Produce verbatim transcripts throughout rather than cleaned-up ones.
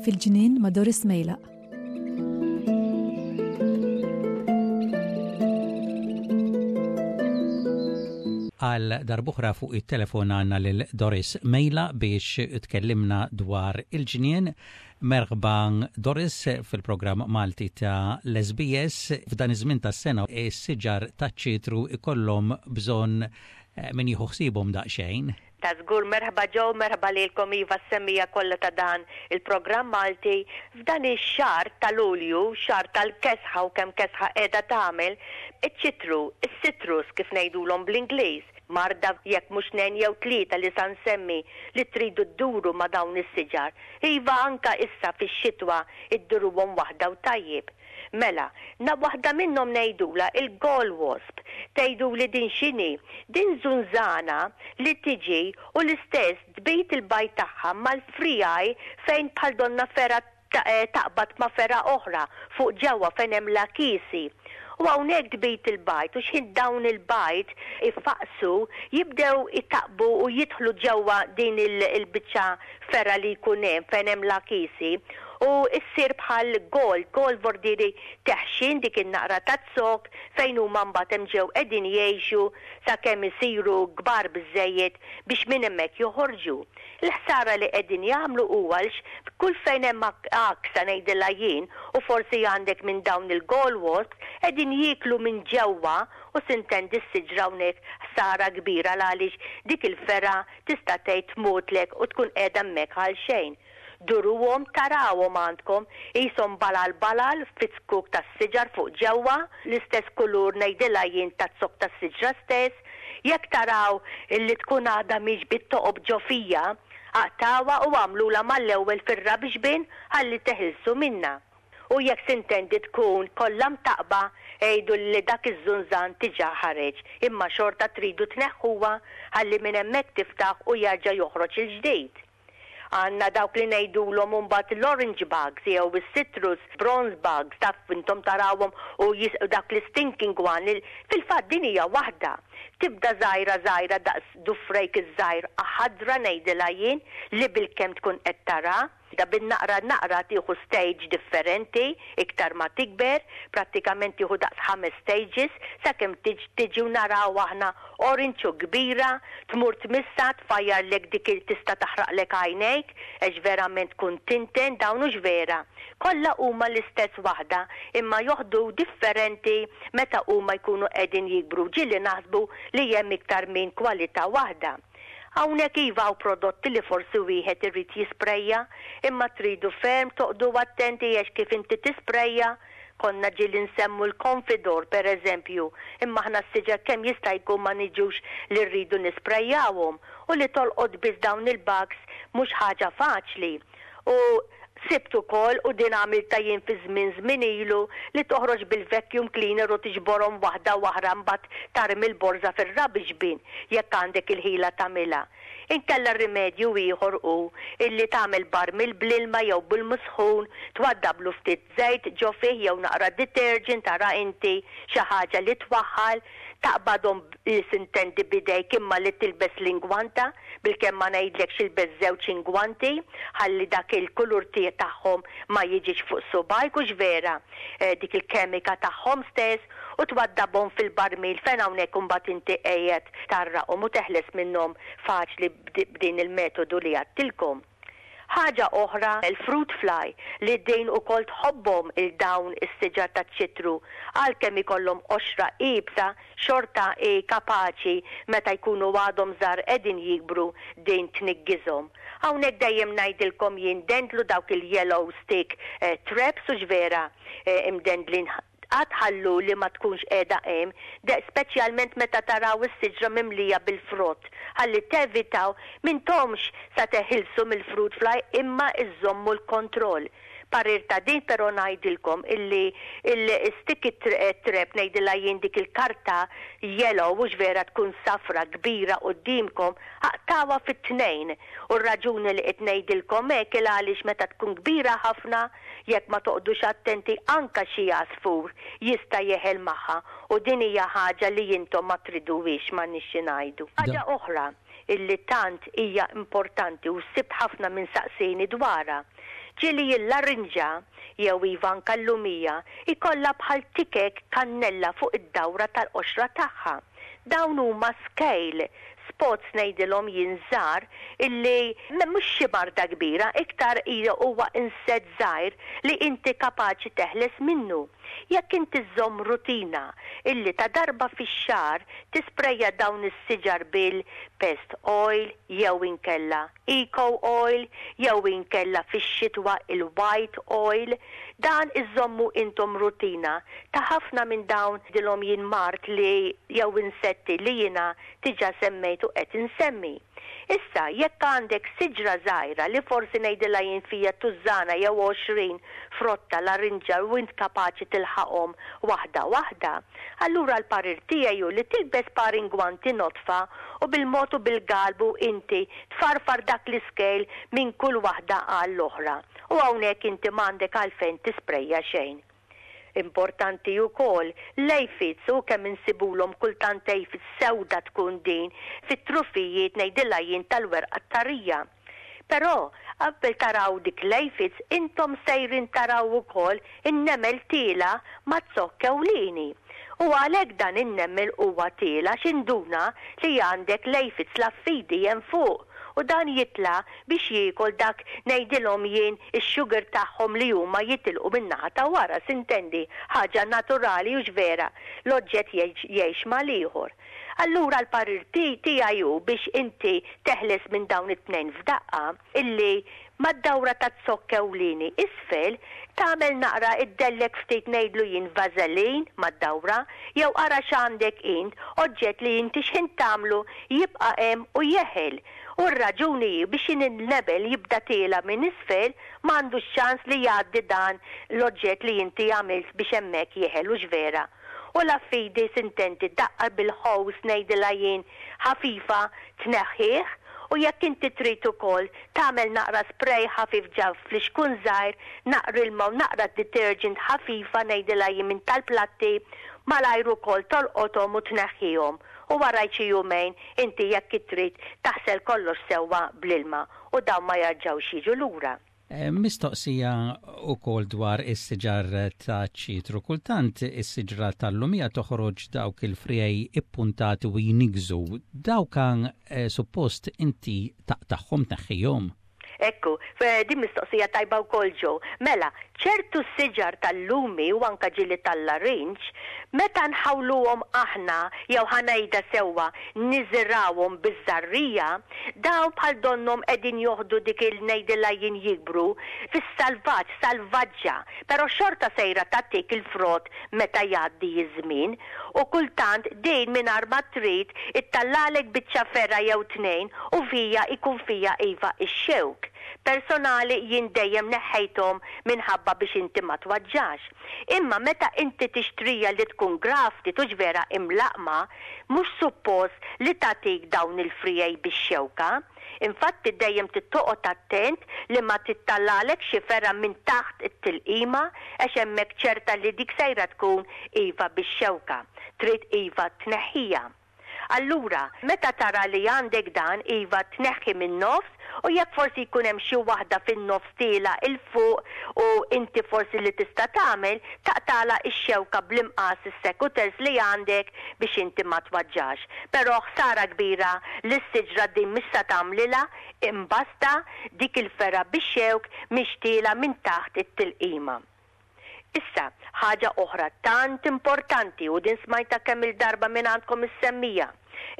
Fil-ġnien ma' Doris Mejlaq. Għal darb'oħra fuq it-telefon għandna lil Doris Mejla biex tkellimna dwar il-ġnien. Merħba, Doris, fil-programm Malti ta' l-S B S. F'dan iż-żmien tas-sena is-siġar taċ-ċitru ikollhom bżonn eh, min jieħu ħsiebhom daqsxejn. Ta' żgur, merħba Joe, merħba lilkom, iva, s-semmiegħa kollha ta' dan il-programm Malti. F'dan ix-xahar ta' Lulju, xahar tal-kesħa u kemm kesħa qiegħda tagħmel, iċ-ċitru, is-citrus kif ngħidulhom bl-Ingliż, marda jekk mhux tnejn jew tlieta li sa nsemmi li tridu dduru ma' dawn is-siġar. Iva, anka issa fix-xitwa idduruhom waħda u tajjeb. Mela, na waħda minnhom ngħidula il-gall wasp. Tgħidu li din x'inhi? Din żunżana li tiġi u l-istess tbid il-bajd tagħha mal-friegħi fejn bħal donna fergħa eh, taqbad ma' fergħa oħra fuq ġewwa fejn hemm l-akisi. U hawnhekk tbid il-bajd u x'ħin dawn il-bajd ifaqsu jibdew itaqbu u jidħlu ġewwa din il-biċċa fergħa li jkun hemm fejn hemm l-akisi u issir bħal gall, gall vordiri teħxin dik in-naqra ta' zokk fejn huma mbagħad hemm ġew qegħdin jgħixu sakemm isiru kbar biżejjed biex minn hemmhekk joħorġu. Il-ħsara li qegħdin jagħmlu huwa kull fejn hemm għaksa, ngħidilha jien, u forsi għandek minn dawn il-gall wasps qegħdin jieklu minn ġewwa u sintendi s-siġra hawnhekk ħsara kbira għaliex dik il-fergħa tista' tgħid tmutlek u tkun qiegħda hemmhekk għal xejn. Duruhom, tarawhom għandkom qishom balal balal fiz-zkuk tas-siġar fuq ġewwa, l-istess kulur, ngħidilha jien, taz-zokk tas-siġra stess. Jekk taraw illi tkun għadha mhix bit-toqob ġo fija, aqtgħuha u għamlula mal-ewwel fir-rubbish bin ħalli teħilsu minna. U jekk sintendi tkun kollha mtaqba, għidu li dak iż-żunżan diġà ħareġ, imma xorta tridu tneħħuha ħalli minn hemmhekk tiftaħ u jerġa' joħroġ il-ġdid. Għandna dawk li ngħidulhom mbagħad l-orange bugs jew is-citrus bronze bugs, taf intom tarawhom u dak l-stinking one. Fil-fatt din hija waħda. Tibda żgħira żgħira daqs dufrejk iż-żgħir, ħadra, ngħidilha jien, li bilkemm tkun qed tara. Da bin-naqra naqra tieħu stage differenti, iktar ma tikber, prattikament tieħu daqs ħames stages, sakemm tiġi u naraw aħna orange u kbira, tmur tmissa tfajjarlek dik, tista' taħraqlek għajnejk, għax verament tkun tinten dawn hux vera. Kollha huma l-istess waħda, imma joħdu differenti meta huma jkunu qegħdin jikbru, ġieli naħsbu li hemm iktar minn kwalità waħda. Hawnhekk iva hawn prodotti li forsi wieħed irid jisprejja, imma tridu ferm toqogħdu attenti għax kif inti tisprejja, konna ġieli nsemmu l-Confidor per eżempju, imma aħna s-siġar kemm jista' jkun ma niġux li rridu nisprejjawhom u li tolqot biss dawn il-bugs mhux ħaġa faċli. U sibt ukoll, u din għamilta jien fi żmien żmien ilu, li toħroġ bil-vacuum cleaner u tiġborhom waħda waħda, mbagħad tarmi l-borża fir-rubbish bin jekk għandek il-ħila tagħmilha. Inkella rimedju ieħor hu illi tagħmel barmil bl-ilma jew bil-musħun, twaddablu ftit żejt ġo fih jew naqra detergent, tara inti xi ħaġa li twaħħal, taqbadhom sintendi bidejk imma li tilbes l-ingwanta, bilkemm ma ngħidlekx ilbes żewġ ingwanti ħalli dak il-kulur tagħhom ma jiġix fuq subgħajk, hux vera, eh, dik il-kemika tagħhom stess, u twaddabhom fil-barmil fejn hawnhekk imbagħad inti qiegħed tgħarraqhom u teħles minnhom faċli b'din il-metodu li għedtilkom. Ħaġa oħra, il-fruit fly, li din ukoll tħobbhom il-dawn is-siġar ta' ċitru, għalkemm ikollhom qoxra iebsa, xorta e kapaċi meta jkunu għadhom żgħar qegħdin jikbru din tniggizhom. Hawnhekk dejjem ngħidilkom jien dendlu dawk il-yellow stick eh, traps, hux vera, eh, imdendlin għatħallu li ma tkunx qiegħda hemm, speċjalment meta taraw is-siġra mimlija bil-frott. Ħalli tevitaw, m'intomx sa teħilsu mill-fruit fly imma iżommu l-kontroll. Parir ta' din però ngħidilkom illi il-sticky trap, ngħidilha jien, dik il-karta yellow, mhux vera, tkun safra kbira qudiemkom, aqtgħuha fit-tnejn. U r-raġuni li qed ngħidilkom hekk il għaliex meta tkun kbira ħafna, jekk ma toqgħodux attenti, anka xi għasfur jista' jeħel magħha u din hija ħaġa li intom ma triduwix, ma nixxi ngħidu. Ħaġa oħra illi tant hija importanti u sibt ħafna minn saqsini dwarha. Ġieli l-larinġa jew iva anka l-lumija ikolla bħal tikek kannella fuq id-dawra tal-qoxra tagħha. Dawn huma scale spots, ngħidilhom jien, żgħar, illi mhux xi marda kbira, iktar huwa insett żgħir li inti kapaċi teħles minnu. Jekk inti żżomm rutina illi ta' darba fix-xahar tisprejja dawn is-siġar bil-pest oil jew inkella eco oil jew inkella fix-xitwa il-white oil, dan iżommu intom rutina ta' ħafna minn dawn dilhom jien mard li jew insetti li jiena diġà semmejtu qed insemmi. Issa, jekk għandek siġra żgħira li forsi ngħidilha jien fija tużżana jew għoxrin frotta larinġa u int kapaċi tilħaqhom waħda waħda, allura l-parir tiegħi li tilbes par ingwanti nodfa u bil-mod u bil-galbu inti tfarfar dak l-scale minn kull waħda għall-oħra. U hawnhekk inti m'għandek għalfejn tisprejja xejn. Importanti wkoll l-aphids, u kemm insibulhom kultant aphids sewda tkun din fit-trufijiet, ngħidilha jien, tal-werqa tarija. Però qabel taraw dik l-aphids, intom sejrin taraw ukoll in-nemel tiela' maz-zokk ewlieni. U għalhekk dan in-nemel huwa tiela' x'induna li għandek l-aphids, l-affidi, hemm fuq u dan jitla' biex jiekol dak, ngħidilhom jien, ix-sugar tagħhom li huma jitilqu min-naħa ta' wara, sintendi, ħaġa naturali u vera, l-oġġett jgħix mal-ieħor. Allura l-parir tiegħi hu biex inti teħles minn dawn it-tnejn f'daqqa illi mad-dawra ta' zokk ewlieni isfel tagħmel naqra iddellek ftit, ngħidlu jien, vażelin mad-dawra jew ara x'għandek int, oġġett li inti x'ħin tagħmlu jibqa' hemm u jeħel. U r-raġuni biex in-nemel jibda tiela' minn isfel m'għandux ċans li jgħaddi dan l-oġġett li inti għamilt biex hemmhekk jeħel, u vera. U l-affidi, sintendi, daqqa bil-hose, ngħidilha jien, ħafifa tneħħih, u jekk inti trid ukoll tagħmel naqra spray ħafif ġo flixkun żgħir, naqra ilma u naqra detergent ħafifa, ngħidilha jien minn tal-platti, malajr ukoll tolqothom u tneħħihom. U wara xi jumejn inti jekk trid taħsel kollox sewwa bl-ilma u dawn ma jarġawx jiġu lura. Eh, mistoqsija ukoll dwar is-siġar ta' ċitru. Kultant is-siġra tal-lumija toħroġ dawk il-friegħi ippuntati u jinigżu. Dawk kan eh, suppost inti taqtagħhom, tneħħihom? Ekku, din mistoqsija tajba wkoll, Joe. Mela, ċertu siġar tal-lumi u anka ġieli tal-larinġ, meta nħawluhom aħna jew, ħa ngħidha sewwa, niżirgħuhom biż-żarrija, dawn bħal donnom qegħdin joħdu dik il, ngħidilha jien, jikbru fis-salvaġġ, salvaġġa, però xorta sejra tagħtik il-frott meta jgħaddi iż-żmien u kultant din mingħajr ma trid ittellagħlek biċċa fergħa jew tnejn u fija ikun fija iva ix-xewk. Personali jien dejjem neħħejthom minħabba biex inti ma twaġġax. Imma meta inti tixtrija li tkun grafted, tux vera imlaqma, mhux suppost li tagħtik dawn il-friegħi bix-xewka. Infatti dejjem tittoqgħod attent li ma tittellagħlek xi fergħa minn taħt it-tilqima għax hemmhekk ċerta li dik sejra tkun iva bix-xewka. Trid iva tneħħija. Allura, meta tara li għandek dan, iva tneħħi minn nofs u jekk forsi jkun hemm xi waħda fin-nofs tiela' 'l fuq u inti forsi li tista' tagħmel taqtagħlha x-xewka bl-imqas, is-secateurs li għandek, biex inti ma twaġġax. Però ħsara kbira li s-siġra din mhix sa tagħmlilha, imbasta dik il-fergħa bix-xewk mhix tiela' minn taħt it-tilqima. Issa, ħaġa oħra tant importanti, u din smajta kemm il-darba minn għandkom is-semmiegħa,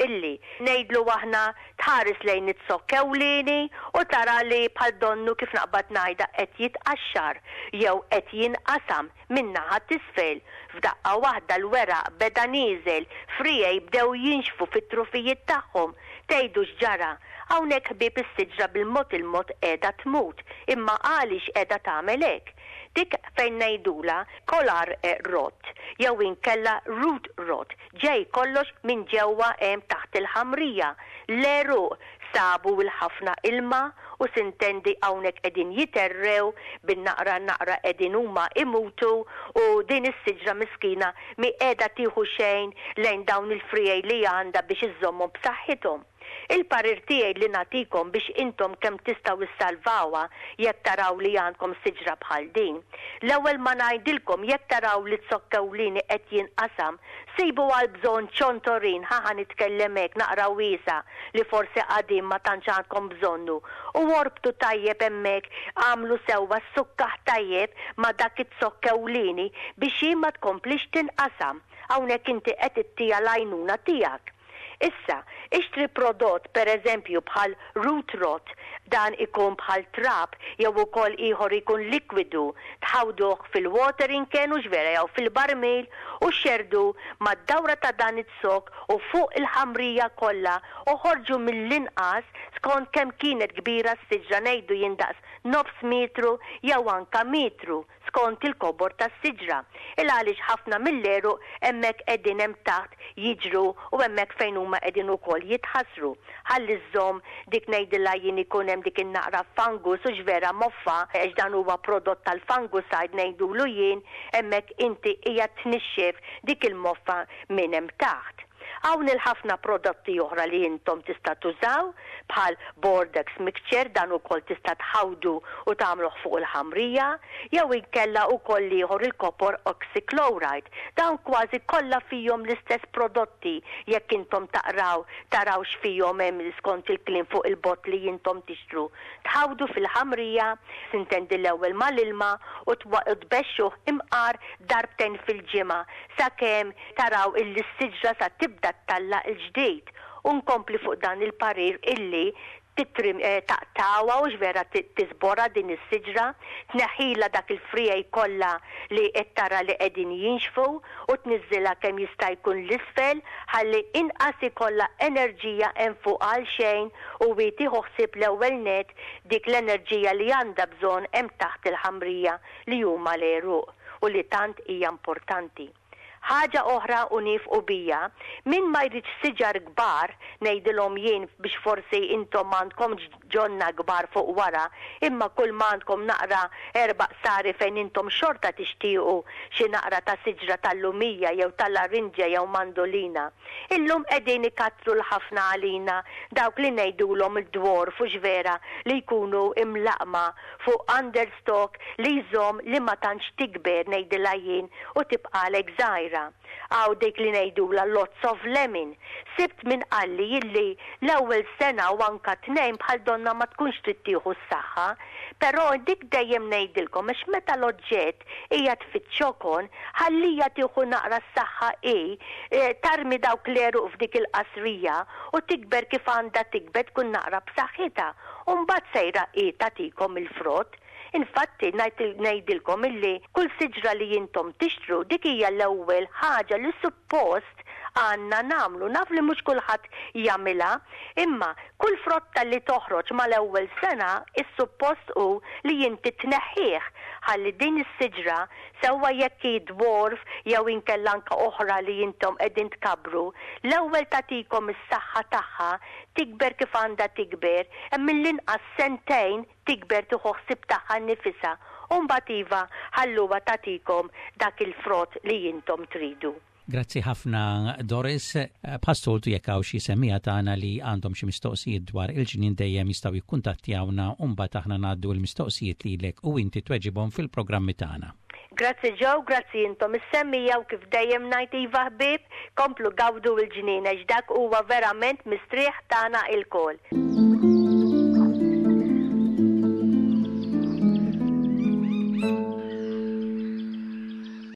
illi ngħidlu aħna tħares lejn it-zokk ewlieni u tara li bħal donnu, kif naqbad ngħidha, qed jitqaxxar jew qed jinqasam min-naħa t'isfel. F'daqqa waħda l-weraq beda nieżel, friegħi bdew jinxfu fit-trufijiet tagħhom. Tgħidu x'ġara? Hawnhekk, ħbieb, is-siġra bil-mod il-mod qiegħda tmut. Imma għaliex qiegħda tagħmel hekk? Dik fejn ngħidulha collar rot jew inkella root rot. Ġej kollox minn ġewwa hemm taħt il-ħamrija. L-għeruq sabu l-ħafna ilma u s'intendi hawnhekk qegħdin jitherrew bin-naqra naqra, qegħdin huma imutu u din is-siġra miskina mi qiegħda tieħu xejn lejn dawn il-friegħi li għandha biex iżommhom b'saħħithom. Il-parir tiegħi li nagħtikom biex intom kemm tistgħu issalvawha jekk taraw li għandkom siġra bħal din. L-ewwel ma ngħidilkom, jekk taraw li z-zokk ewlieni qed jinqasam, sibu għal bżonn ċontorin, ħa nitkellem hekk naqra wiesa', li forsi qadim ma tantx għandkom bżonnu. U orbtu tajjeb hemmhekk, għamlu sewwa sukkaħ tajjeb ma' dak iz-zokk ewlieni biex hi ma tkomplix tinqasam. Hawnhekk inti qed ittiha l-għajnuna tiegħek. Issa, ixtri prodott, per eżempju, bħal root rot, dan ikun bħal trab jew ukoll ieħor ikun likwidu, tħawduh fil-watering can, hux vera, jew fil-barmil u xerdu mad-dawra ta' dan iz-zokk u fuq il-ħamrija kollha u ħorġu mill-inqas, skont kemm kienet kbira s-siġra, ngħidu jindaqs nofs metru jew anka metru skont il-kobor tas-siġra. Il għaliex ħafna mill-għeruq hemmhekk qegħdin hemm taħt jiġru u hemmhekk fejn huma qegħdin ukoll jitħassru. Ħalli żżomm dik, ngħidilha jien, ikun hemm dik in-naqra fungus, hux vera, moffa, għax dan huwa prodott tal-fungicide ngħidulu jien, hemmhekk inti hija tnixxef dik il-moffa minn hemm taħt. Hawn il-ħafna prodotti oħra li intom tista' tużaw bħal Bordeaux mixture, dan ukoll tista' tħawdu u tagħmluh fuq il-ħamrija, jew inkella ukoll ieħor il-copper oxychloride. Dawn kważi kollha fihom l-istess prodotti. Jekk intom taqraw taraw x'fihom hemm skont il-kliem fuq il-bott li intom tixtru. Tħawdu fil-ħamrija, s'intendi l-ewwel mal-ilma, u tbexxuh imqar darbtejn fil-ġimgħa sakemm taraw illi s-siġra sa tibda ttella' il-ġdid. U nkompli fuq dan il-parir illi titrim eh, taqtgħuha, hux vera, tiżborha din is-siġra, tneħħila dak il-friegħi kollha li qed tara li qegħdin jinxfu u tniżżilha kemm jista' jkun l-isfel ħalli inqas ikollha enerġija hemm fuq għal xejn u tieħu ħsieb l-ewwel net dik l-enerġija li għandha bżonn hemm taħt il-ħamrija li huma l-għeruq u li tant hija importanti. Ħaġa oħra u nieqfu biha, min ma jridx siġar kbar, ngħidilhom jien biex forsi intom għandkom ġonna kbar fuq wara, imma kull ma għandkom naqra erba' qsari fejn intom xorta tixtiequ xi naqra ta' siġra tal-lumija jew tal-larinġa jew mandolina. Illum qegħdin ikattru l-ħafna għalina dawk li ngħidulhom il-dwarf, hux vera, li jkunu imlaqma fuq understock li jżomm li ma tantx tikber, ngħidilha jien, u tibqalek żgħira. Hawn dik li ngħidula lots of lemon. Sibt min qalli illi l-ewwel sena u anka tnejn bħal donna ma tkunx trid tieħu s-saħħa, però dik dejjem ngħidilkom għax meta l-oġġett hija tfittxokon, ħallija tieħu naqra s-saħħa i e, tarmi dawk l-għeruq f'dik il-qasrija u tikber kif għandha tikber, tkun naqra b'saħħitha. U mbagħad sejra i tagħtikom il-frott. Infatti ngħidilkom illi kull siġra li intom tixtru, dik hija l-ewwel ħaġa li suppost għandna nagħmlu. Naf li mhux kulħadd jagħmilha, imma kull frotta li toħroġ mal-ewwel sena, is-suppost hu li inti tneħħih ħalli din is-siġra, sewwa jekk hi dwarf jew inkella anka oħra li intom qegħdin tkabbru, l-ewwel tagħtikom is-saħħa tagħha, tikber kif għandha tikber, hemm mill-inqas sentejn tikber, tieħu ħsieb tagħha nnifisha. U mbagħad iva ħalluha tagħtikom dak il-frott li intom tridu. Grazzi ħafna, Doris. Bħas-soltu, jekk hawn xi semmiegħa tagħna li għandhom xi mistoqsijiet dwar il-ġnien, dejjem jistgħu jikkuntattjawna u mbagħad aħna ngħaddu l-mistoqsijiet lilek u inti tweġibhom fil-programmi tagħna. Grazzi Joe, grazzi intom is-semmiegħa u kif dejjem ngħid, iva ħbieb, komplu gawdu il-ġnien għax dak huwa verament mistrieħ tagħna ilkoll.